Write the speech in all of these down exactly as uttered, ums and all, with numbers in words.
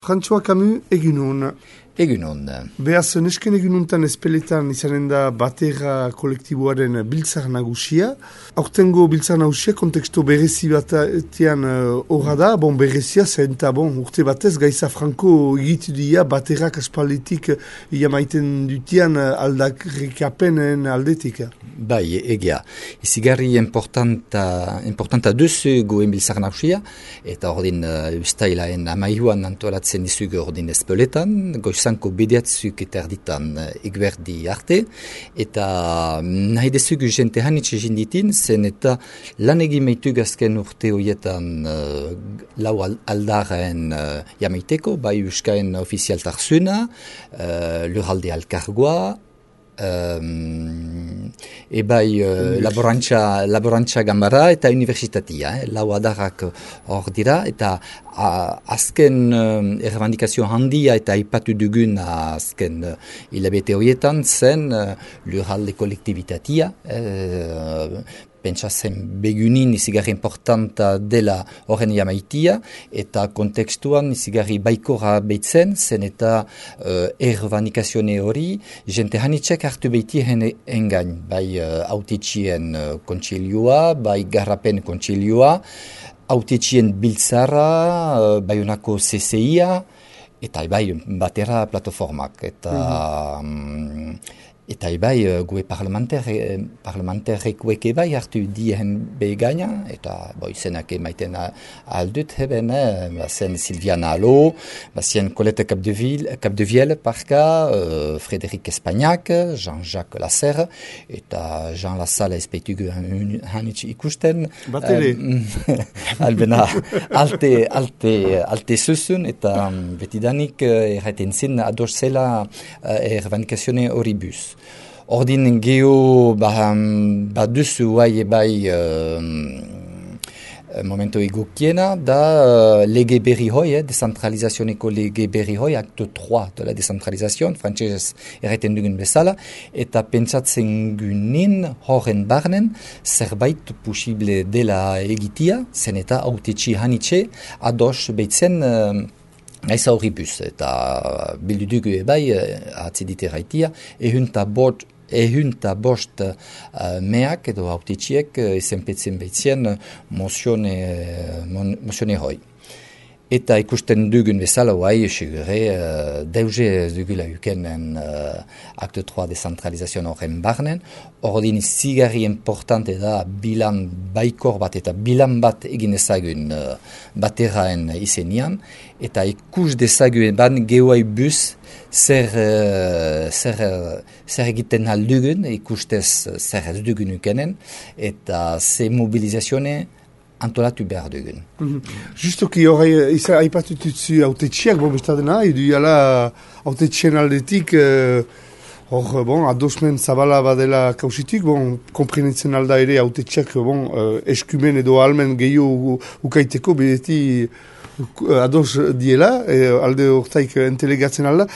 François Camus egunon. Egunon. Beaz, nesken egununtan espeletan izanen da batera kolektiboaren biltzar nagusia. Aurtengo biltzar nagusia konteksto berezi batean horra uh, da, bon berezia zen eta bon, urte batez Gaiza Franco egitu dia baterak aspalditik ia maiten dutian aldarrikapenen aldetik. Bai, egia. Izigarri importanta, importanta duzu goen biltzar nagusia, eta ordin uh, ustailaen amaihuan antolatzen izugu ordin espeletan, goizanko bediatzuk eta erditan egberdi arte, eta nahi dezugu jente hanitxe jinditin, zen eta lan egin meitug azken urte horietan uh, lau aldaren uh, jamaiteko, bai euskaen ofizialtarzuna, uh, lurralde alkargoa, Um, ebai uh, laborantza, laborantza gambara eta universitatia, eh? lau adarrak hor dira, eta uh, azken uh, errebandikazio handia eta aipatu dugun azken uh, hilabete horietan zen uh, lurralde kolektibitatia, uh, pentsatzen begunin izigarri importanta dela horren jamaitia, eta kontekstuan izigarri baikora behitzen, zen eta uh, errebandikazione hori, jente hanitxek hartu behiti engain, bai uh, autetxien uh, kontsilioa, bai garrapen kontsilioa, autetxien biltzara, uh, bai honako C C I-a, eta bai batera plataformak, eta... Mm-hmm. um, Eta ebai, gue parlamentarrekuek ebai hartu dien begaina, eta bo, izenak emaiten aldut heben, eh, bazen Silviana Alo, bazen Colette Capdevielle, parka, uh, Frédéric Espagnac, Jean-Jacques Lasserre, eta Jean Lassalle espeitugu hanitz ikusten. Batere. Um, albena, alte, alte, alte zuzun, eta um, betidanik uh, erraiten zin ados zela uh, errebandikazione horibus. Ordin geho baduzu ba bai bai uh, momento egokiena da uh, lege berri hoi, eh, decentralizazioneko lege berri hoi, acte trois de la decentralizazioan, frantzesez erraiten dugun bezala, eta pentsatzen gunin horren barnen zerbait posible dela egitia, zen eta autetxi hanitxe ados behitzen uh, Gaiza horribus, eta bildu dugu ebai, atzidite raitia, ehunta bot, ehunta bost uh, meak edo autetxiek ezenpetzen behitzien mozione, mon, mozione hoi. Eta ikusten dugun bezala, guai, segure, uh, deuze dugula ukenen uh, acte trois decentralizazioan horren barnen, ordin zigarri importante da bilan baikor bat eta bilan bat egin ezagun uh, bateraen izenian, eta ikus dezagun ban gehoai bus zer, uh, zer, uh, zer egiten aldugun, ikustez zer ez dugun ukenen, eta ze mobilizazione antolatu behar dugun. Mm-hmm. Justoki horre, izan aipatututzu autetxiak, bon, bestadena, edu jala autetxien aldetik, hor, uh, bon, adosmen zabala badela kausitik, bon, komprenetzen alda ere autetxiak, bon, uh, eskumen edo almen gehiago ukaiteko, bedeti uh, ados diela, eh, alde hortaik entelegatzen alda.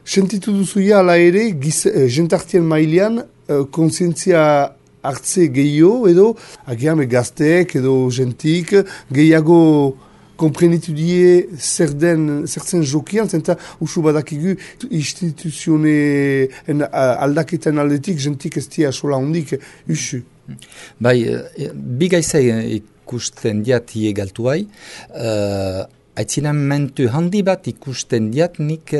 Sentitu duzuia ala ere, giz, uh, jentartien mailean, uh, konsientzia hartze gehiago edo, agian gazteek edo jentik, gehiago komprenitu die zer den, zer zen jokian, zenta usu badakigu instituzione aldaketan aldetik jentik ez dia sola hondik usu. Bai, bi gaiza ikusten diat iegaltuai, uh, aitzinamentu handi bat ikusten diat nik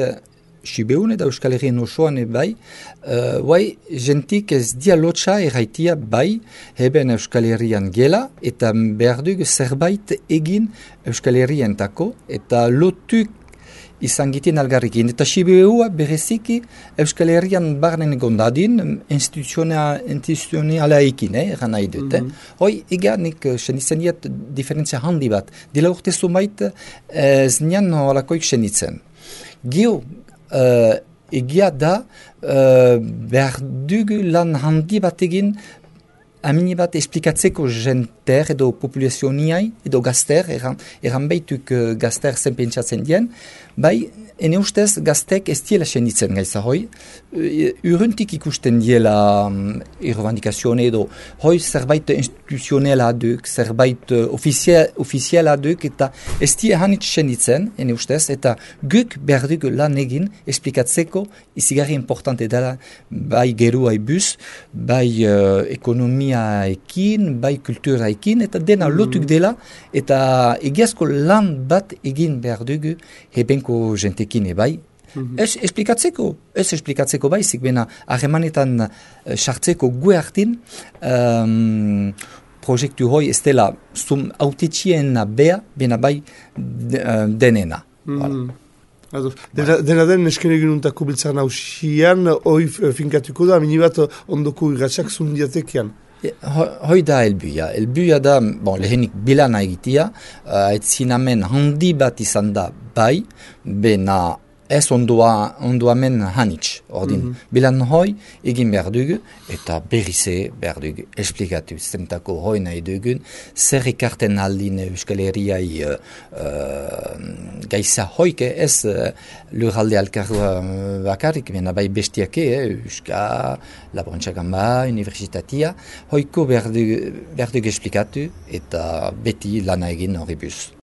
Sibeun eta Euskal Herrien osoan bai, uh, bai, jentik ez dia lotxa erraitia bai, heben Euskal Herrian gela, eta behar dugu zerbait egin Euskal Herrien tako, eta lotuk izan gitien algarrikin. Eta Sibeua bereziki Euskal Herrian barnen gondadin instituzionala ekin, eh, eran nahi dut. Mm-hmm. eh. Hoi, ega nik senitzen diat diferentzia handi bat. Dila urte zumait ez nian holakoik senitzen. Gio, Uh, egia da, uh, behar dugu lan handi bat egin amini bat esplikatzeko jenter edo populazioniai edo gazter, eran, eran behituk uh, gazter zen pentsatzen dien, bai ene ustez gaztek ez diela senditzen gaiza hoi, urruntik ikusten diela um, irrevandikazione edo hoi zerbait instituzionela duk, zerbait uh, ofiziala duk, eta ez die hanitz senditzen, ene ustez, eta guk behar dugu lan egin esplikatzeko izigarri importante dela bai gerua bus, bai uh, ekonomiaekin, bai kulturaekin, eta dena mm. lotuk dela, eta egiazko lan bat egin behar dugu hebenko jentekin ebai. Mm-hmm. Ez esplikatzeko, ez esplikatzeko baizik, bena harremanetan sartzeko uh, gu hartin um, proiektu hoi ez dela zum autetxiena bea, bena bai uh, denena. Mm-hmm. Dena, dena den esken egin untako biltzaren hausian, hoi finkatuko da, minibat ondoko irratxak zundiatekian. Hoi da elbuia. Elbuia da, bon, lehenik bilana egitea, uh, etzinamen handi bat izan da bai, bena ez ondoa, ondoamen hanitz. Ordin, mm-hmm. bilan hoi egin behar dugu, eta berrize behar dugu esplikatu. Zentako hoi nahi dugun, zer ikarten aldin Euskal Herriai uh, uh, gaisa hoike ez uh, lurralde alkarua bakarrik, bena bai bestiake, eh, Euska, Laborantzakan Universitatea, hoiko behar dugu, behar dugu esplikatu, eta beti lana egin horri buz.